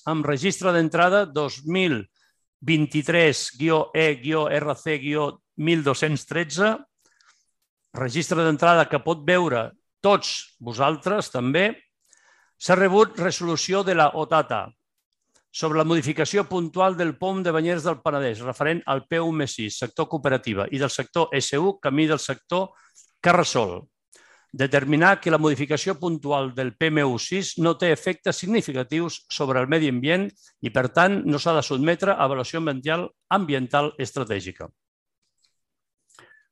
amb registre d'entrada 2023-E-RC-1213, registre d'entrada que pot veure tots vosaltres també. S'ha rebut resolució de la OTATA sobre la modificació puntual del POM de Banyeres del Penedès, referent al PUM6, sector cooperativa, i del sector SU, camí del sector Carrasol. Determinar que la modificació puntual del PMU6 no té efectes significatius sobre el medi ambient i, per tant, no s'ha de sotmetre a avaluació ambiental estratègica.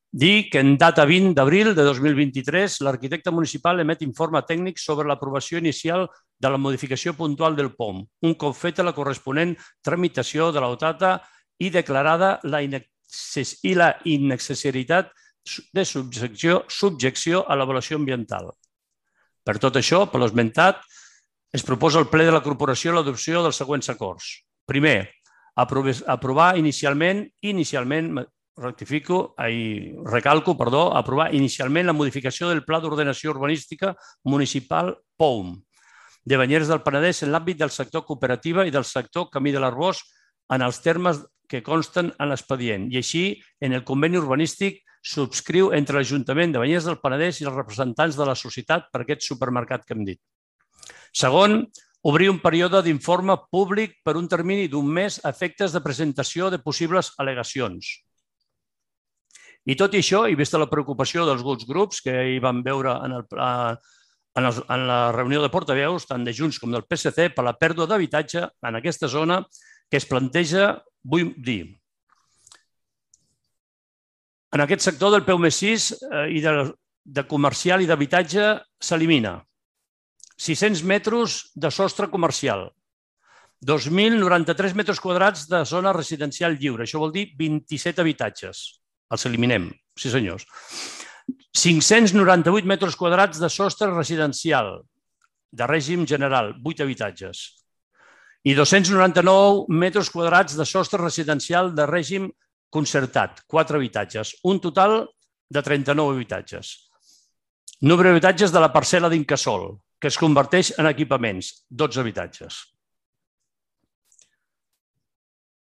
Dir que en data 20 d'abril de 2023 l'arquitecte municipal emet informe tècnic sobre l'aprovació inicial de la modificació puntual del POM, un cop feta la corresponent tramitació de l'AUTATA i declarada la innecessaritat de subjecció a l'avaluació ambiental. Per tot això, per l'esmentat, es proposa al ple de la corporació l'adopció dels següents acords. Primer, aprovar inicialment, aprovar inicialment la modificació del Pla d'Ordenació Urbanística Municipal POUM de Banyeres del Penedès en l'àmbit del sector cooperativa i del sector Camí de l'Arboç en els termes que consten en l'expedient i així en el conveni urbanístic subscriu entre l'Ajuntament de Banyeres del Penedès i els representants de la societat per aquest supermercat que hem dit. Segon, obrir un període d'informe públic per un termini d'un mes a efectes de presentació de possibles al·legacions. I tot i això, i vista la preocupació dels grups que hi vam veure en la reunió de portaveus, tant de Junts com del PSC, per la pèrdua d'habitatge en aquesta zona que es planteja, vull dir, en aquest sector del PUM6 i de comercial i d'habitatge s'elimina 600 metres de sostre comercial, 2.093 metres quadrats de zona residencial lliure, això vol dir 27 habitatges. Els eliminem, sí senyors. 598 metres quadrats de sostre residencial de règim general, 8 habitatges. I 299 metres quadrats de sostre residencial de règim concertat, 4 habitatges. Un total de 39 habitatges. Número d'habitatges de la parcel·la d'Incasòl, que es converteix en equipaments, 12 habitatges.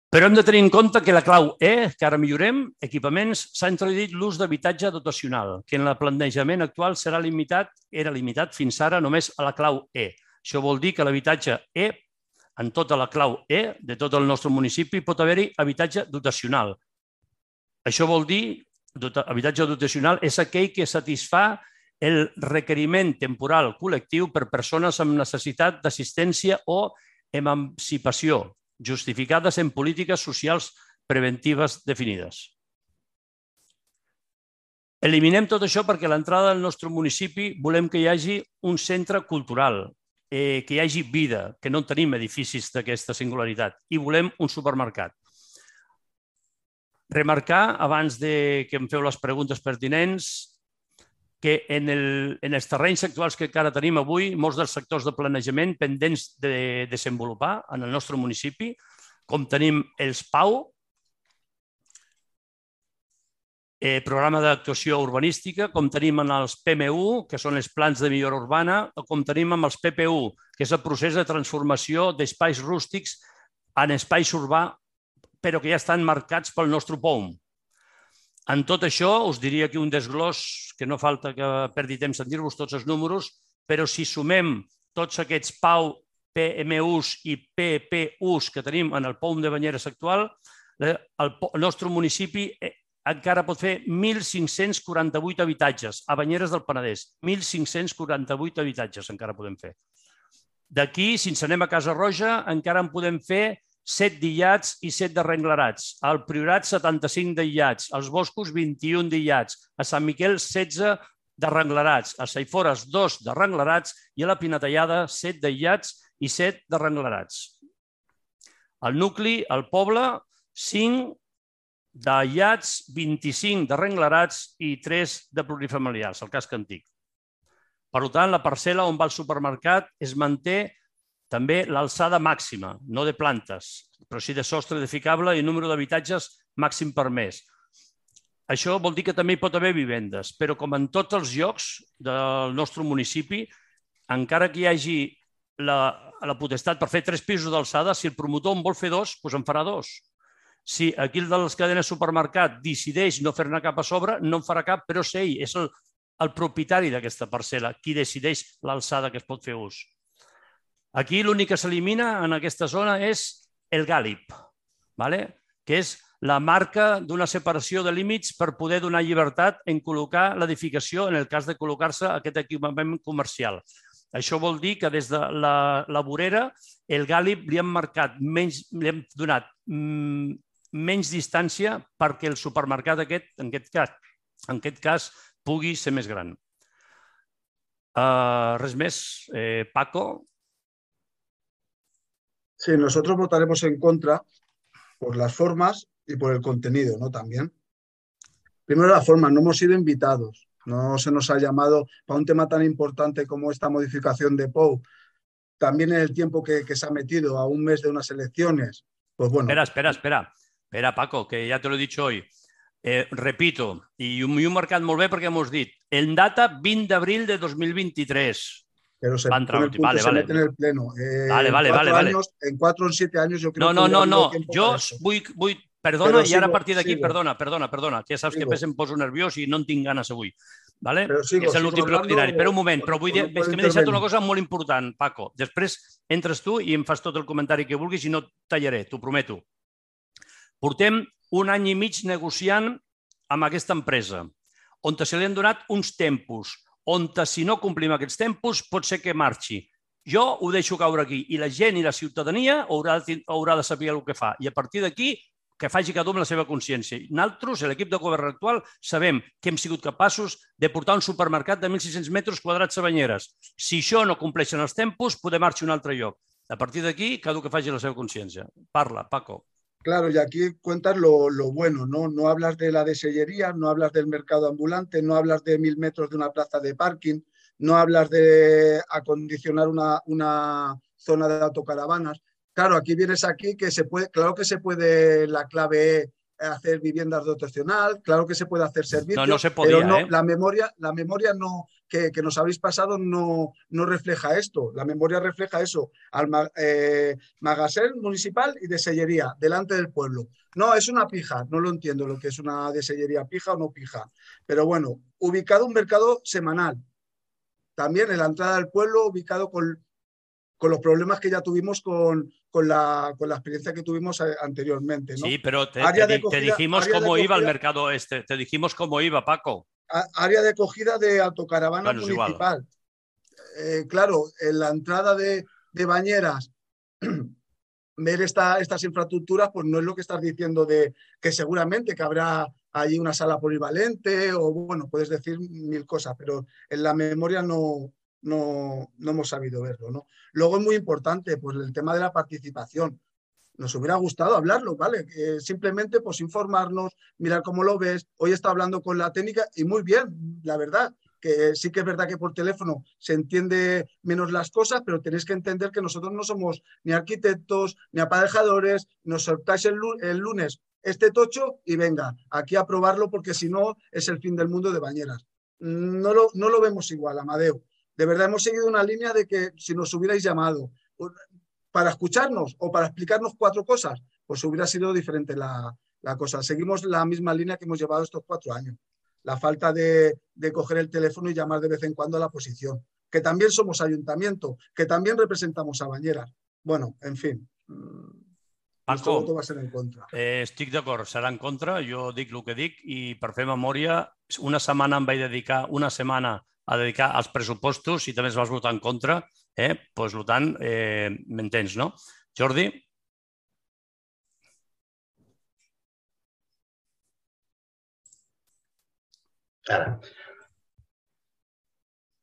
Però hem de tenir en compte que la clau E, que ara millorem, equipaments, s'ha introduït l'ús d'habitatge dotacional, que en el plantejament actual era limitat fins ara només a la clau E. Això vol dir que l'habitatge E, en tota la clau E de tot el nostre municipi, pot haver-hi habitatge dotacional. Això vol dir, habitatge dotacional és aquell que satisfà el requeriment temporal col·lectiu per persones amb necessitat d'assistència o emancipació, justificades en polítiques socials preventives definides. Eliminem tot això perquè a l'entrada del nostre municipi volem que hi hagi un centre cultural, que hi hagi vida, que no tenim edificis d'aquesta singularitat i volem un supermercat. Remarcar, abans que em feu les preguntes pertinents, que en els terrenys actuals que encara tenim avui, molts dels sectors de planejament pendents de desenvolupar en el nostre municipi, com tenim els PAU, programa d'actuació urbanística, com tenim en els PMU, que són els plans de millora urbana, o com tenim amb els PPU, que és el procés de transformació d'espais rústics en espais urbà, però que ja estan marcats pel nostre POUM. En tot això, us diria que un desglòs, que no falta que perdi temps en dir-vos tots els números, però si sumem tots aquests PAU, PMUs i PPUs que tenim en el POUM de Banyeres actual, el nostre municipi encara pot fer 1.548 habitatges a Banyeres del Penedès. 1.548 habitatges encara podem fer. D'aquí, si ens anem a Casa Roja, encara en podem fer 7 d'illats i 7 d'arrenglerats. Al Priorat, 75 d'illats. Als Boscos, 21 d'illats. A Sant Miquel, 16 d'arrenglerats. A Saifores, 2 d'arrenglerats. I a la Pinatellada, 7 d'illats i 7 d'arrenglerats. Al nucli, al poble, 5 d'illats, 25 d'arrenglerats i 3 de plurifamiliars, el casc antic. Per tant, la parcel·la on va el supermercat es manté també l'alçada màxima, no de plantes, però sí de sostre edificable i número d'habitatges màxim permès. Això vol dir que també hi pot haver vivendes, però com en tots els llocs del nostre municipi, encara que hi hagi la potestat per fer 3 pisos d'alçada. Si el promotor en vol fer 2, doncs en farà 2. Si aquí el de les cadenes supermercat decideix no fer-ne cap a sobre, no en farà cap, però és ell, és el propietari d'aquesta parcel·la qui decideix l'alçada que es pot fer ús. Aquí l'únic que s'elimina en aquesta zona és el gàlib, que és la marca d'una separació de límits per poder donar llibertat en col·locar l'edificació en el cas de col·locar-se aquest equipament comercial. Això vol dir que des de la vorera el gàlib li han donat menys distància perquè el supermercat aquest, en aquest cas, pugui ser més gran. Res més, Paco? Sí, nosotros votaremos en contra por las formas y por el contenido, ¿no? También. Primero las formas, no hemos sido invitados, no se nos ha llamado para un tema tan importante como esta modificación de POU. También en el tiempo que se ha metido a un mes de unas elecciones, pues bueno. Espera, Paco, que ya te lo he dicho hoy. Repito, i ho he marcat molt bé perquè hemos dit, en data 20 d'abril de 2023. Pero se mete en el pleno. Vale. En 4 o 7 años yo creo que... No. Jo vull... Perdona, i ara a partir d'aquí, perdona, que ja saps que em poso nerviós i no en tinc ganes avui. És l'últim ple ordinari. Però un moment, però vull dir, és que m'he deixat una cosa molt important, Paco. Després entres tu i em fas tot el comentari que vulguis i no et tallaré, t'ho prometo. Portem 1 any i mig negociant amb aquesta empresa, on se li han donat uns tempos, on si no complim aquests tempos pot ser que marxi. Jo ho deixo caure aquí i la gent i la ciutadania haurà de saber el que fa. I a partir d'aquí, que faci cada un amb la seva consciència. Nosaltres, l'equip de govern actual, sabem que hem sigut capaços de portar un supermercat de 1.600 metres quadrats a Banyeres. Si això no compleixen els tempos, podem marxar a un altre lloc. A partir d'aquí, cada un que faci la seva consciència. Parla, Paco. Claro, y aquí cuentas lo bueno, ¿no? No hablas de la desellería, no hablas del mercado ambulante, no hablas de 1000 metros de una plaza de parking, no hablas de acondicionar una zona de autocaravanas. Claro, aquí vienes que se puede, claro que se puede la clave hacer viviendas dotacional, claro que se puede hacer servicios, no se podía, pero no, la memoria no, que nos habéis pasado no refleja esto. La memoria refleja eso, magazín municipal y desellería, delante del pueblo. No, es una pija, no lo entiendo lo que es una desellería, pija o no pija. Pero bueno, ubicado un mercado semanal. También en la entrada del pueblo, ubicado con los problemas que ya tuvimos con la experiencia que tuvimos anteriormente, ¿no? Sí, pero te dijimos cómo iba el mercado este, te dijimos cómo iba, Paco. Área de acogida de autocaravana municipal. Claro, en la entrada de Bañeras, ver estas infraestructuras, pues no es lo que estás diciendo de que seguramente que habrá allí una sala polivalente o bueno, puedes decir 1000 cosas, pero en la memoria no hemos sabido verlo, ¿no? Luego es muy importante pues, el tema de la participación. Nos hubiera gustado hablarlo, ¿vale? Simplemente pues informarnos, mirar cómo lo ves. Hoy está hablando con la técnica y muy bien, la verdad. Que sí que es verdad que por teléfono se entiende menos las cosas, pero tenéis que entender que nosotros no somos ni arquitectos, ni aparejadores. Nos soltáis el lunes este tocho y venga, aquí a probarlo porque si no es el fin del mundo de Bañeras. No lo vemos igual, Amadeo. De verdad hemos seguido una línea de que si nos hubierais llamado para escucharnos o para explicarnos 4 cosas, pues hubiera sido diferente la cosa. Seguimos la misma línea que hemos llevado estos 4 años. La falta de coger el teléfono y llamar de vez en cuando a la oposición. Que también somos ayuntamiento, que también representamos a Bañeras. Bueno, en fin. Paco, voto va a ser en contra. Estic d'acord, serà en contra. Jo dic el que dic i per fer memòria, una setmana em vaig dedicar, a dedicar als pressupostos i també es vas votar en contra, doncs, per tant, m'entens, no? Jordi? Ara.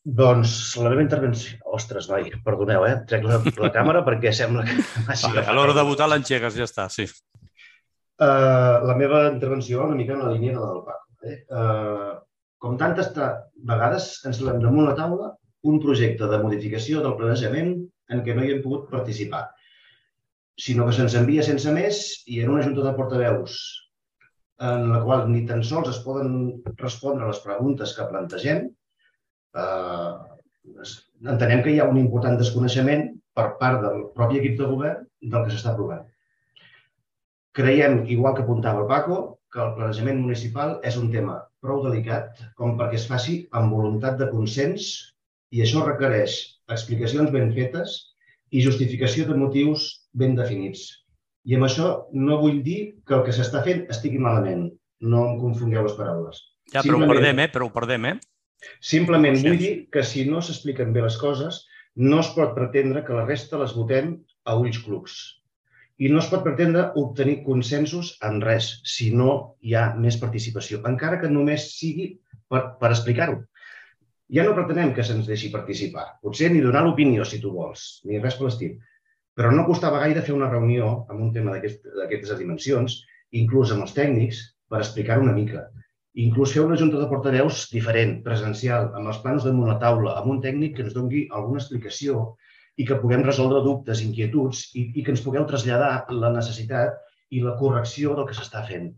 Doncs la meva intervenció... Ostres, noi, perdoneu, trec la càmera perquè sembla que... A l'hora de votar l'engegues, ja està, sí. La meva intervenció una mica en la línia de la del Paco. Com tantes vegades ens trobem damunt la taula un projecte de modificació del planejament en què no hi hem pogut participar, sinó que se'ns envia sense més i en una junta de portaveus en la qual ni tan sols es poden respondre les preguntes que plantegem. Entenem que hi ha un important desconeixement per part del propi equip de govern del que s'està aprovant. Creiem, igual que apuntava el Paco, que el planejament municipal és un tema prou delicat com perquè es faci amb voluntat de consens i això requereix explicacions ben fetes i justificació de motius ben definits. I amb això no vull dir que el que s'està fent estigui malament. No em confongueu les paraules. Ja, però ho perdem, Simplement vull dir que si no s'expliquen bé les coses, no es pot pretendre que la resta les votem a ulls clucs. I no es pot pretendre obtenir consensos en res, si no hi ha més participació, encara que només sigui per explicar-ho. Ja no pretenem que se'ns deixi participar, potser ni donar l'opinió, si tu vols, ni res per l'estil. Però no costava gaire fer una reunió amb un tema d'aquestes dimensions, inclús amb els tècnics, per explicar-ho una mica. Inclús fer una junta de portaveus diferent, presencial, amb els plans damunt la taula, amb un tècnic que ens doni alguna explicació i que puguem resoldre dubtes, inquietuds i que ens pugueu traslladar la necessitat i la correcció del que s'està fent.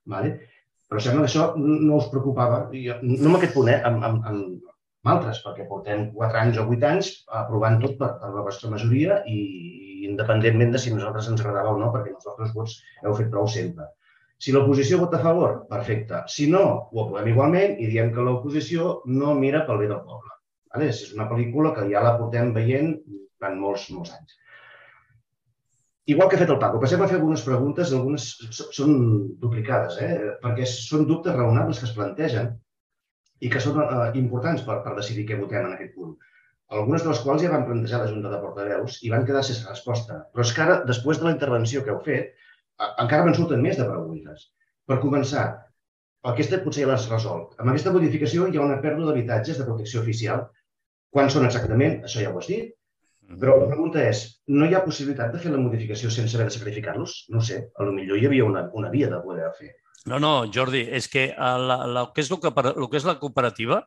Però sembla que això no us preocupava, no amb aquest punt, amb altres, perquè portem 4 anys o 8 anys aprovant tot per la vostra majoria i independentment de si a nosaltres ens agradava o no, perquè els vostres vots heu fet prou sempre. Si l'oposició vota a favor, perfecte. Si no, ho aprovem igualment i diem que l'oposició no mira pel bé del poble. És una pel·lícula que ja la portem veient durant molts anys. Igual que ha fet el Paco, passem a fer algunes preguntes, algunes són duplicades, perquè són dubtes raonables que es plantegen i que són importants per decidir què votem en aquest punt. Algunes de les quals ja van plantejar la Junta de Portaveus i van quedar sense resposta. Però és que ara, després de la intervenció que heu fet, encara me'n surten més de preguntes. Per començar, aquesta potser ja l'has resolt. Amb aquesta modificació hi ha una pèrdua d'habitatges de protecció oficial. Quants són exactament? Això ja ho has dit. Però la pregunta és, no hi ha possibilitat de fer la modificació sense haver de sacrificar-los? No ho sé, potser hi havia una via de poder fer. No, Jordi, és que el que és la cooperativa,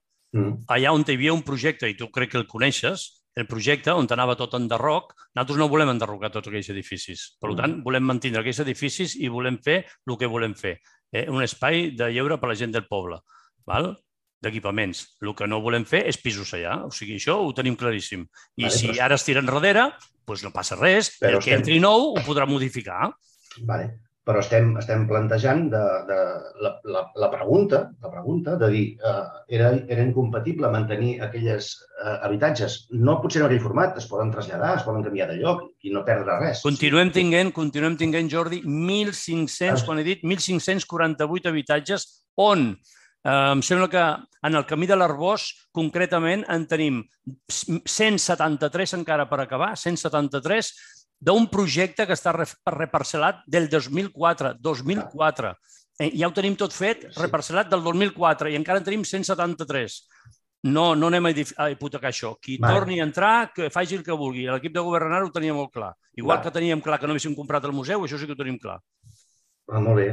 allà on hi havia un projecte, i tu crec que el coneixes, el projecte on anava tot enderroc, nosaltres no volem enderrocar tots aquells edificis. Per tant, volem mantenir aquells edificis i volem fer el que volem fer. Un espai de lleure per a la gent del poble, d'equipaments. El que no volem fer és pisos allà. O sigui, això ho tenim claríssim. I si ara es tira enrere, doncs no passa res. El que entri nou ho podrà modificar. Però estem plantejant la pregunta de dir era incompatible mantenir aquells habitatges. No potser en aquell format, es poden traslladar, es poden canviar de lloc i no perdre res. Continuem tinguent, Jordi, 1.500, quan he dit, 1.548 habitatges on em sembla que en el camí de l'Arbós, concretament, en tenim 173 encara per acabar, 173 d'un projecte que està reparcel·lat del 2004. Ja ho tenim tot fet, reparcel·lat del 2004, i encara en tenim 173. No anem a hipotecar això. Qui torni a entrar, que faci el que vulgui. L'equip de governant ho tenia molt clar. Igual que teníem clar que no haguéssim comprat el museu, això sí que ho tenim clar. Molt bé.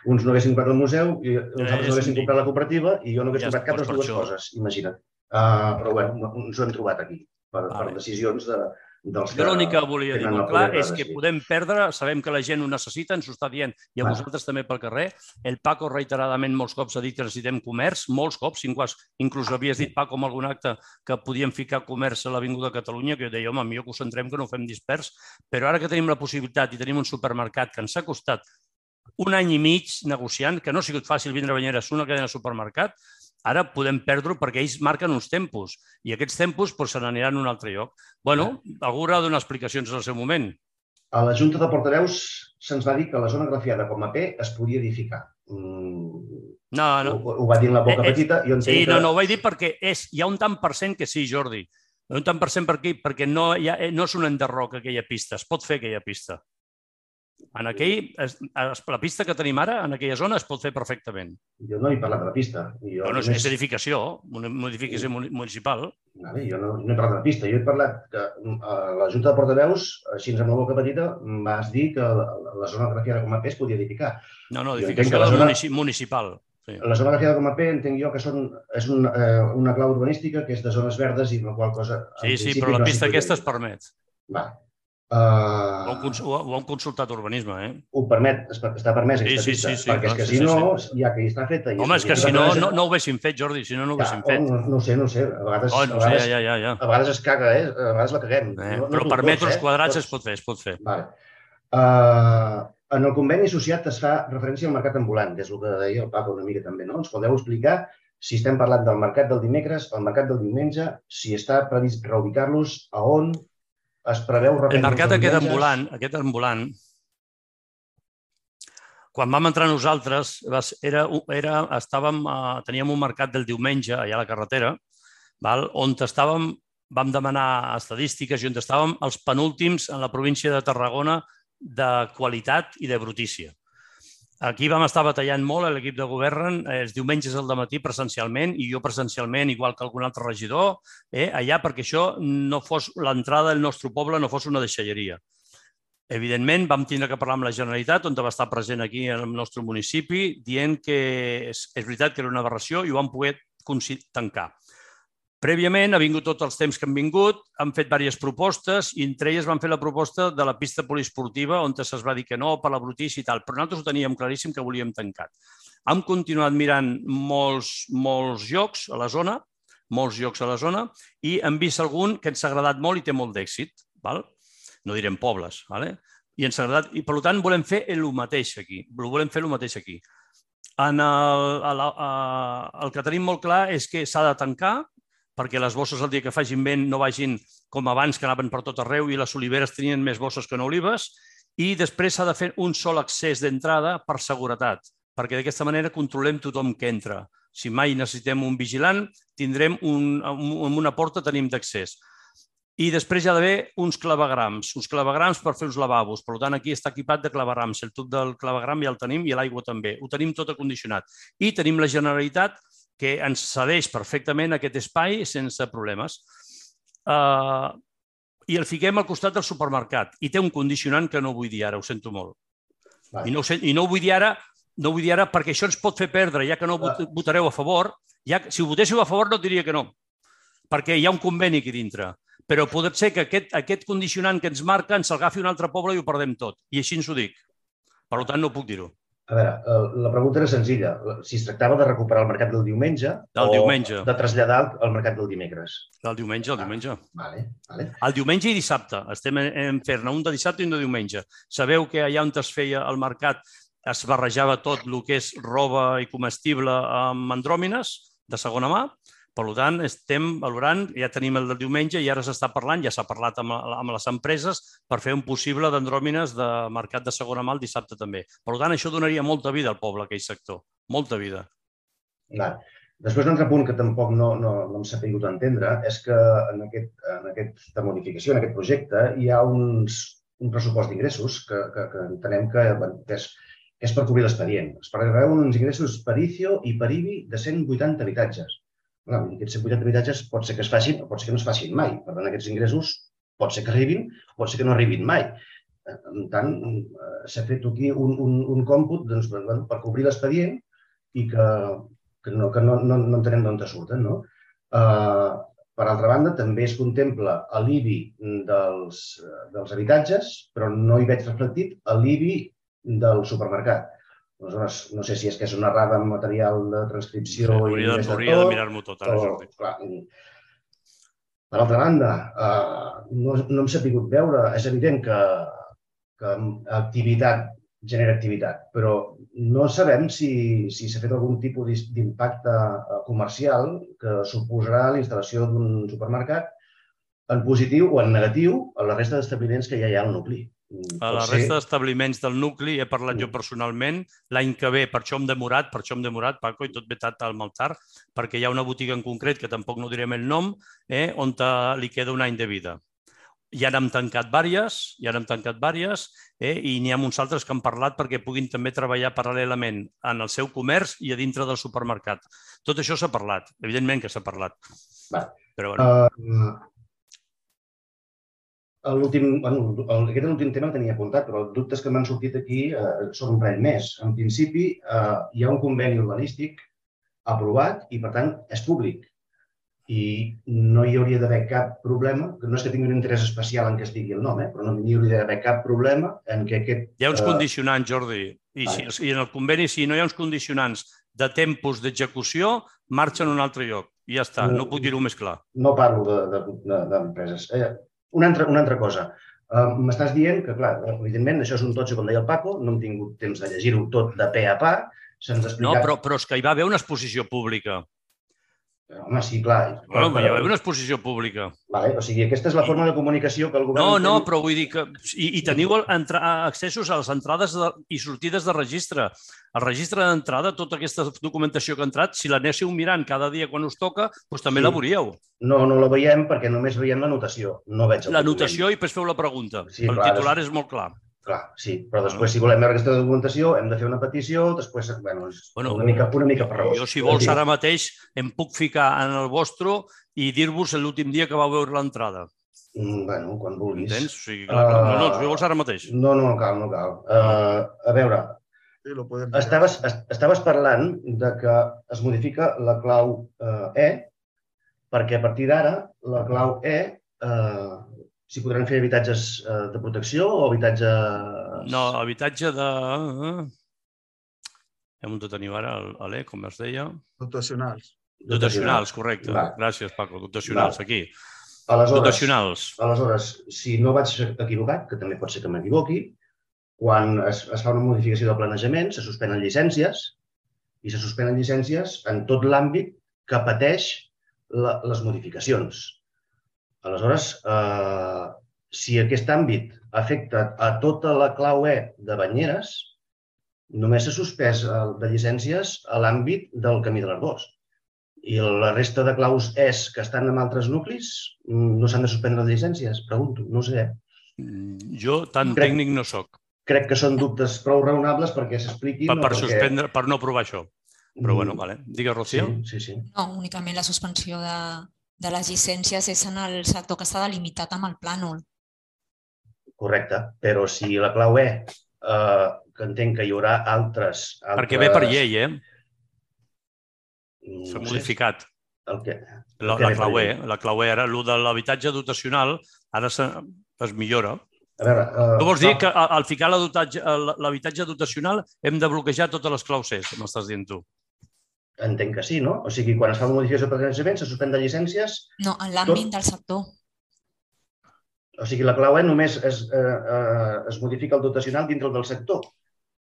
Uns no haguessin comprat el museu, i els altres no haguessin comprat la cooperativa, i jo no hagués comprat cap de les dues coses, imagina't. Però bé, ens ho hem trobat aquí, per decisions de... Jo l'únic que volia dir molt clar és que podem perdre, sabem que la gent ho necessita, ens ho està dient, i a vosaltres també pel carrer. El Paco reiteradament molts cops ha dit que necessitem comerç, molts cops, inclús havies dit, Paco, en algun acte que podíem ficar comerç a l'Avinguda Catalunya, que jo deia, home, millor que ho centrem, que no ho fem dispers, però ara que tenim la possibilitat i tenim un supermercat que ens ha costat 1 any i mig negociant, que no ha sigut fàcil vindre a Banyeres, una cadena de supermercat, ara podem perdre-ho perquè ells marquen uns tempos i aquests tempos se n'aniran a un altre lloc. Bueno, algú haurà de donar explicacions en el seu moment. A la Junta de Portaveus se'ns va dir que la zona grafiada com a P es podia edificar. No. Ho va dir en la boca petita. Sí, no, ho vaig dir perquè hi ha un tant per cent que sí, Jordi. Un tant per cent per aquí, perquè no és un enderroc aquella pista, es pot fer aquella pista. La pista que tenim ara, en aquella zona, es pot fer perfectament. Jo no he parlat de la pista. És edificació, una modificació municipal. Jo no he parlat de la pista. Jo he parlat que a la Junta de Portaveus, així amb la boca petita, vas dir que la zona grafiada com a P es podia edificar. No, edificació municipal. La zona grafiada com a P entenc jo que és una clau urbanística que és de zones verdes i la qual cosa... Sí, però la pista aquesta es permet. Va. O Ho han consultat urbanisme, eh? Ho permet, està permès aquesta pista, perquè és que si no, ja que hi està feta... Home, és que si no, no ho haguessin fet, Jordi, si no, no ho haguessin fet. No ho sé, a vegades es caga, a vegades la caguem. Però per metres quadrats es pot fer, En el conveni associat es fa referència al mercat ambulant, que és el que deia el Paco una mica també, no? Ens podeu explicar si estem parlant del mercat del dimecres, el mercat del diumenge, si està previst reubicar-los, a on es preveu reprendre... El mercat aquest ambulant, quan vam entrar nosaltres, teníem un mercat del diumenge allà a la carretera, on vam demanar estadístiques i on estàvem els penúltims en la província de Tarragona de qualitat i de brutícia. Aquí vam estar batallant molt, l'equip de govern, els diumenges al dematí presencialment i jo presencialment, igual que algun altre regidor, allà perquè això no fos l'entrada del nostre poble, no fos una deixalleria. Evidentment, vam tindre que parlar amb la Generalitat, on va estar present aquí en el nostre municipi, dient que és veritat que era una aberració i ho vam poder tancar. Prèviament, ha vingut tots els temps que han vingut, han fet diverses propostes i entre elles van fer la proposta de la pista poliesportiva on es va dir que no per la brutícia i tal, però nosaltres ho teníem claríssim que volíem tancat. Hem continuat mirant molts llocs a la zona, i hem vist algun que ens ha agradat molt i té molt d'èxit. No direm pobles. I ens ha agradat, i per tant volem fer el mateix aquí. El que tenim molt clar és que s'ha de tancar perquè les bosses el dia que facin vent no vagin com abans, que anaven per tot arreu i les oliveres tenien més bosses que no olives, i després s'ha de fer un sol accés d'entrada per seguretat, perquè d'aquesta manera controlem tothom que entra. Si mai necessitem un vigilant, tindrem una porta, tenim d'accés. I després hi ha d'haver uns clavegrams per fer uns lavabos. Per tant, aquí està equipat de clavegrams. El tub del clavegram ja el tenim i l'aigua també. Ho tenim tot acondicionat. I tenim la Generalitat que ens cedeix perfectament aquest espai sense problemes. I el fiquem al costat del supermercat. I té un condicionant que no vull dir ara, ho sento molt. I no ho vull dir ara perquè això ens pot fer perdre, ja que no votareu a favor. Si ho votéssiu a favor no et diria que no, perquè hi ha un conveni aquí dintre. Però pot ser que aquest condicionant que ens marca ens agafi un altre poble i ho perdem tot. I així ens ho dic. Per tant, no puc dir-ho. A veure, la pregunta era senzilla. Si es tractava de recuperar el mercat del diumenge o de traslladar al mercat del dimecres. Del diumenge. Vale. El diumenge i dissabte. Estem fent-ne un de dissabte i un de diumenge. Sabeu que allà on es feia el mercat es barrejava tot el que és roba i comestible amb andròmines de segona mà. Per tant, estem valorant, ja tenim el del diumenge i ara s'està parlant, ja s'ha parlat amb les empreses per fer un possible d'andròmines de mercat de segona mà el dissabte també. Per tant, això donaria molta vida al poble, aquell sector. Molta vida. Després, un altre punt que tampoc no hem sabut entendre és que en aquesta modificació, en aquest projecte, hi ha un pressupost d'ingressos que entenem que és per cobrir l'expedient. Es preveu uns ingressos per ICIO i per IBI de 180 habitatges. Aquests 180 habitatges pot ser que es facin o pot ser que no es facin mai. Per tant, aquests ingressos pot ser que arribin o pot ser que no arribin mai. Per tant, s'ha fet aquí un còmput per cobrir l'expedient i que no entenem d'on surten. Per altra banda, també es contempla l'IBI dels habitatges, però no hi veig reflectit l'IBI del supermercat. Aleshores, no sé si és que és una errada en material de transcripció... Hauria de mirar-m'ho tot ara, Jordi. Per altra banda, no hem sabut veure... És evident que activitat genera activitat, però no sabem si s'ha fet algun tipus d'impacte comercial que suposarà la instal·lació d'un supermercat en positiu o en negatiu a la resta d'establiments que ja hi ha al nucli. A la resta d'establiments del nucli he parlat jo personalment. L'any que ve, per això hem demorat, Paco, i tot vetat al Maltar, perquè hi ha una botiga en concret, que tampoc no direm el nom, on li queda un any de vida. Ja n'hem tancat diverses, i n'hi ha uns altres que han parlat perquè puguin també treballar paral·lelament en el seu comerç i a dintre del supermercat. Tot això s'ha parlat, evidentment que s'ha parlat. Però bueno... Aquest és l'últim tema que tenia apuntat, però els dubtes que m'han sortit aquí són un parell més. En principi, hi ha un conveni urbanístic aprovat i, per tant, és públic. i no hi hauria d'haver cap problema, que no és que tingui un interès especial en què estigui el nom, però no hi hauria d'haver cap problema en què aquest... Hi ha uns condicionants, Jordi, i en el conveni, si no hi ha uns condicionants de tempos d'execució, marxa en un altre lloc. I ja està, no puc dir-ho més clar. No parlo d'empreses. Una altra cosa. M'estàs dient que, clar, evidentment, això és un totxo, com deia el Paco, no hem tingut temps de llegir-ho tot de pe a pa, se'ns ha explicat... No, però és que hi va haver una exposició pública. Home, sí, clar. Hi va haver una exposició pública. O sigui, aquesta és la forma de comunicació que el govern... No, però vull dir que... I teniu accessos a les entrades i sortides de registre. El registre d'entrada, tota aquesta documentació que ha entrat, si l'anéssiu mirant cada dia quan us toca, doncs també la veuríeu. No la veiem perquè només veiem la notació. No veig el document. La notació i després feu la pregunta. El titular és molt clar. Clar, sí, però després si volem veure aquesta documentació hem de fer una petició, després, bueno, una mica per raó. Jo, si vols, ara mateix em puc ficar en el vostre i dir-vos l'últim dia que vau veure l'entrada. Bueno, quan vulguis. Entens? O sigui, clar, no, si vols ara mateix. No cal. A veure, estaves parlant de que es modifica la clau E, perquè a partir d'ara la clau E si podran fer habitatges de protecció o habitatges... No, habitatge de... Hem de tenir ara l'E, com es deia? Dotacionals. Dotacionals, correcte. Gràcies, Paco. Dotacionals, aquí. Dotacionals. Aleshores, si no vaig equivocat, que també pot ser que m'equivoqui, quan es fa una modificació del planejament, se suspenen llicències i se suspenen llicències en tot l'àmbit que pateix les modificacions. Aleshores, si aquest àmbit afecta a tota la clau E de Banyeres, només s'ha suspès de llicències a l'àmbit del Camí de l'Arboç. I la resta de claus ES que estan en altres nuclis no s'han de suspendre les llicències? Pregunto, no sé. Jo tan tècnic no soc. Crec que són dubtes prou raonables perquè s'expliquin. Per suspendre, per no aprovar això. Però bueno, vale. Digues, Rocío. Sí. No, únicament la suspensió de les llicències és en el sector que està delimitat amb el plànol. Correcte, però si la clau E, que entenc que hi haurà altres... Perquè ve per llei, s'ha modificat. La clau E era el de l'habitatge dotacional, ara es millora. Tu vols dir que al ficar l'habitatge dotacional hem de bloquejar totes les claus E, m'estàs dient tu? Entenc que sí, no? O sigui, quan es fa una modificació de planejament, se suspèn de llicències... No, en l'àmbit del sector. O sigui, la clau E només es modifica el dotacional dintre del sector.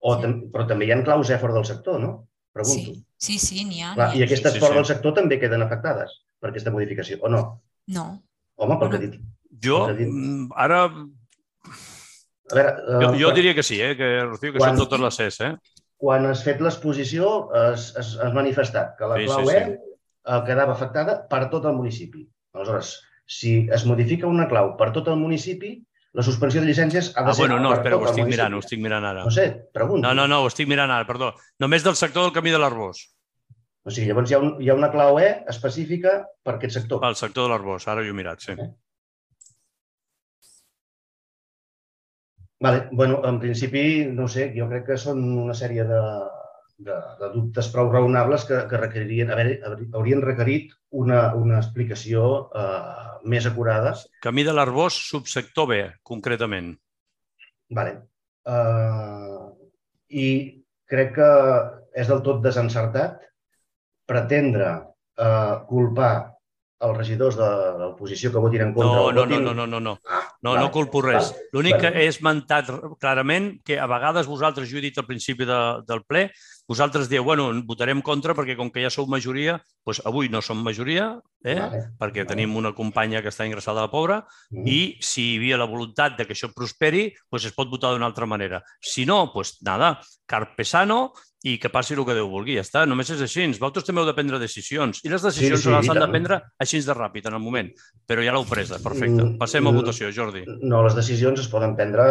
Però també hi ha claus E fora del sector, no? Pregunto. Sí, n'hi ha. I aquestes fora del sector també queden afectades per aquesta modificació, o no? No. Home, pel que he dit. Jo, ara... Jo diria que sí, Rocío, que són totes les ES, Quan has fet l'exposició has manifestat que la clau E quedava afectada per tot el municipi. Aleshores, si es modifica una clau per tot el municipi, la suspensió de llicències ha de ser per tot el municipi. No, espera, ho estic mirant ara. No sé, pregunto. No, ho estic mirant ara, perdó. Només del sector del Camí de l'Arboç. O sigui, llavors hi ha una clau E específica per aquest sector. Pel sector de l'Arboç, ara ho he mirat, sí. Bueno, en principi, no sé, jo crec que són una sèrie de dubtes prou raonables que haurien requerit una explicació més acurada. Camí de l'Arboç, subsector B, concretament. Vale. I crec que és del tot desencertat pretendre culpar els regidors de l'oposició que votin en contra... No culpo res. L'únic que he esmentat clarament que a vegades vosaltres, jo he dit al principi del ple, vosaltres dieu, bueno, votarem contra perquè com que ja sou majoria, doncs avui no som majoria, perquè tenim una companya que està ingressada a la pobra, i si hi havia la voluntat que això prosperi, doncs es pot votar d'una altra manera. Si no, doncs nada, carpe sano i que passi el que Déu vulgui, ja està. Només és així. Vosaltres també heu de prendre decisions. I les decisions les han de prendre així de ràpid, en el moment. Però ja l'heu presa, perfecte. Passem a votació, Jordi. No, les decisions es poden prendre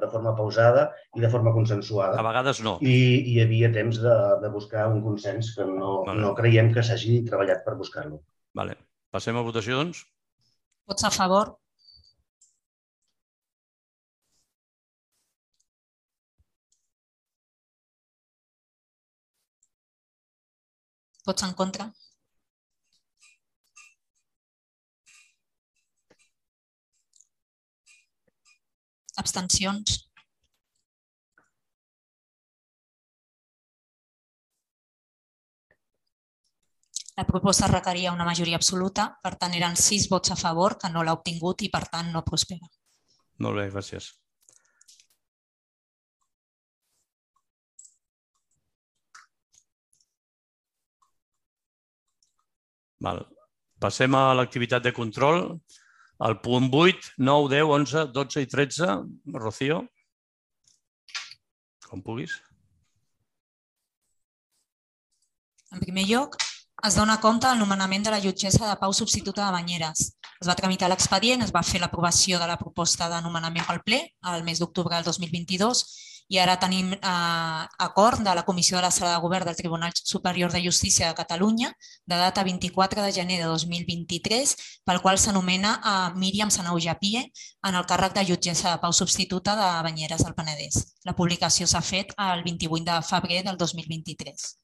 de forma pausada i de forma consensuada. A vegades no. I hi havia temps de buscar un consens que no creiem que s'hagi treballat per buscar-lo. Passem a votació, doncs? Vots a favor? Vots en contra? Abstencions? La proposta requeria una majoria absoluta, per tant eren 6 vots a favor, que no l'ha obtingut i per tant no prospera. Molt bé, gràcies. Passem a l'activitat de control. El punt 8, 9, 10, 11, 12 i 13. Rocío, com puguis. En primer lloc, es dona compte del nomenament de la jutgessa de pau substituta de Banyeres. Es va tramitar l'expedient, es va fer l'aprovació de la proposta de nomenament pel ple el mes d'octubre del 2022 i ara tenim acord de la Comissió de la Sala de Govern del Tribunal Superior de Justícia de Catalunya de data 24 de gener de 2023 pel qual s'anomena Míriam Sanauja-Pie en el càrrec de jutgessa de pau substituta de Banyeres del Penedès. La publicació s'ha fet el 28 de febrer del 2023.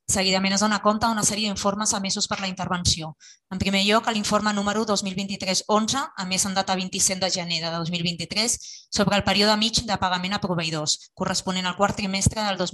Seguidament es dona compte d'una sèrie d'informes emesos per la intervenció. En primer lloc, l'informe número 2023-11, emès en data 27 de gener de 2023, sobre el període mig de pagament a proveïdors, corresponent al quart trimestre del 2023.